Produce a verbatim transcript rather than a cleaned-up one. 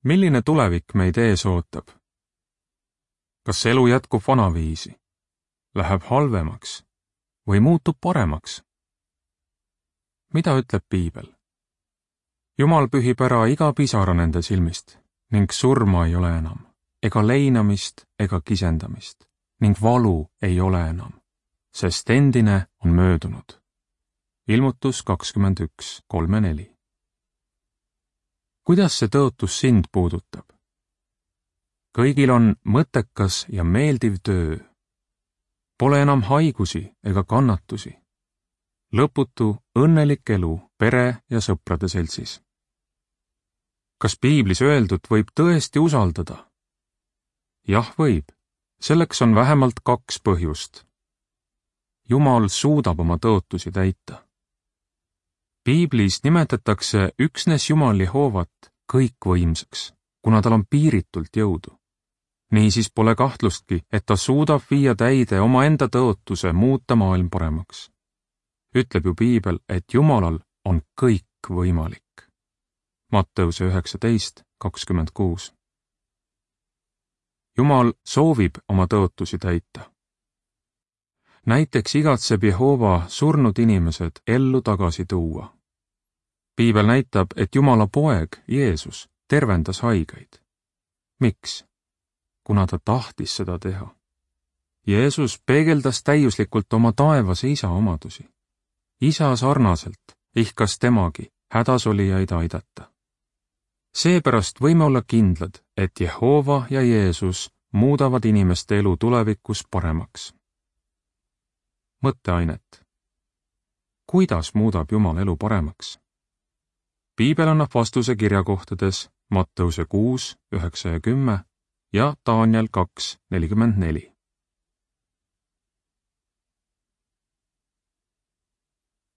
Milline tulevik meid ees ootab? Kas elu jätkub vanaviisi, läheb halvemaks või muutub paremaks? Mida ütleb piibel? Jumal pühib ära iga pisara nende silmist ning surma ei ole enam, ega leinamist ega kisendamist ning valu ei ole enam, sest endine on möödunud. Ilmutus kakskümmend üks, kolm ja neli. Kuidas see tõotus sind puudutab? Kõigil on mõttekas ja meeldiv töö. Pole enam haigusi ega kannatusi. Lõputu, õnnelik elu pere ja sõprade seltsis. Kas piiblis öeldut võib tõesti usaldada? Jah, võib. Selleks on vähemalt kaks põhjust. Jumal suudab oma tõotusi täita. Piiblis nimetatakse üksnes Jumal Jehoovat kõikvõimsaks, kuna tal on piiritult jõudu. Niisiis pole kahtlustki, et ta suudab viia täide omaenda tõotuse muuta maailm paremaks. Ütleb ju piibel, et Jumalal on kõik võimalik. Matteuse üheksateist, kakskümmend kuus. Jumal soovib oma tõotusi täita. Näiteks igatseb Jehova surnud inimesed ellu tagasi tuua. Piibel näitab, et Jumala poeg, Jeesus, tervendas haigeid. Miks? Kuna ta tahtis seda teha. Jeesus peegeldas täiuslikult oma taevase isa omadusi. Isa sarnaselt ihkas temagi hädasolijaid aidata. Seepärast võime olla kindlad, et Jehova ja Jeesus muudavad inimeste elu tulevikus paremaks. Mõtteainet. Kuidas muudab Jumal elu paremaks? Piibel annab vastuse kirjakohtades Matteuse kuus, üheksa ja kümme ja Daniel kaks, nelikümmend neli.